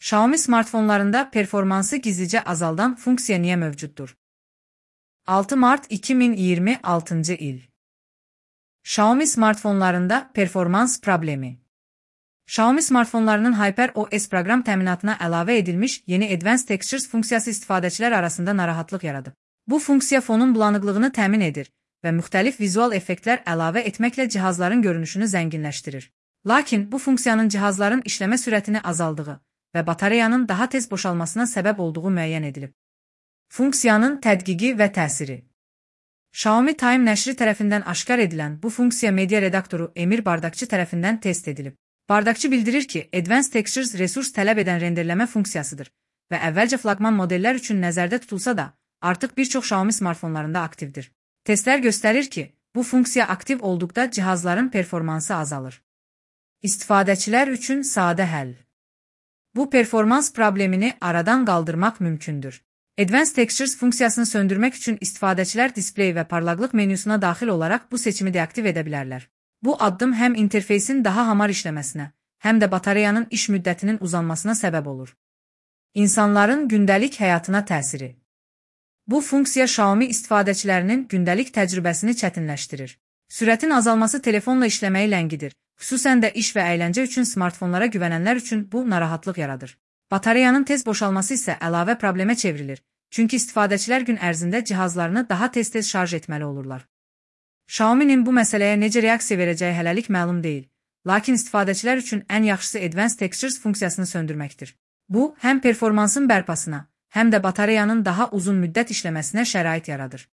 Xiaomi smartfonlarında performansı gizlice azaldan funksiya niyə mövcuddur? 6 Mart 2026 il. Xiaomi smartfonlarında performans problemi. Xiaomi smartfonlarının HyperOS proqram təminatına əlavə edilmiş yeni Advanced Textures funksiyası istifadəçilər arasında narahatlıq yaradıb. Bu funksiya fonun bulanıqlığını təmin edir və müxtəlif vizual effektlər əlavə etməklə cihazların görünüşünü zənginləşdirir. Lakin bu funksiyanın cihazların işləmə sürətini azaldığı və batareyanın daha tez boşalmasına səbəb olduğu müəyyən edilib. Funksiyanın tədqiqi və təsiri. Xiaomi Time nəşri tərəfindən aşkar edilən bu funksiya media redaktoru Emir Bardakçı tərəfindən test edilib. Bardakçı bildirir ki, Advanced Textures resurs tələb edən renderləmə funksiyasıdır və əvvəlcə flaqman modellər üçün nəzərdə tutulsa da, artıq bir çox Xiaomi smartfonlarında aktivdir. Testlər göstərir ki, bu funksiya aktiv olduqda cihazların performansı azalır. İstifadəçilər üçün sadə həll. Bu performans problemini aradan qaldırmaq mümkündür. Advanced Textures funksiyasını söndürmək üçün istifadəçilər displey və parlaqlıq menüsuna daxil olaraq bu seçimi deaktiv edə bilərlər. Bu addım həm interfeysin daha hamar işləməsinə, həm də batareyanın iş müddətinin uzanmasına səbəb olur. İnsanların gündəlik həyatına təsiri. Bu funksiya Xiaomi istifadəçilərinin gündəlik təcrübəsini çətinləşdirir. Sürətin azalması telefonla işləməyi ləngidir, xüsusən də iş və əyləncə üçün smartfonlara güvənənlər üçün bu narahatlıq yaradır. Batareyanın tez boşalması isə əlavə problemə çevrilir, çünki istifadəçilər gün ərzində cihazlarını daha tez-tez şarj etməli olurlar. Xiaomi'nin bu məsələyə necə reaksiya verəcəyi hələlik məlum deyil, lakin istifadəçilər üçün ən yaxşısı Advanced Textures funksiyasını söndürməkdir. Bu, həm performansın bərpasına, həm də batareyanın daha uzun müddət işləməsinə şərait yaradır.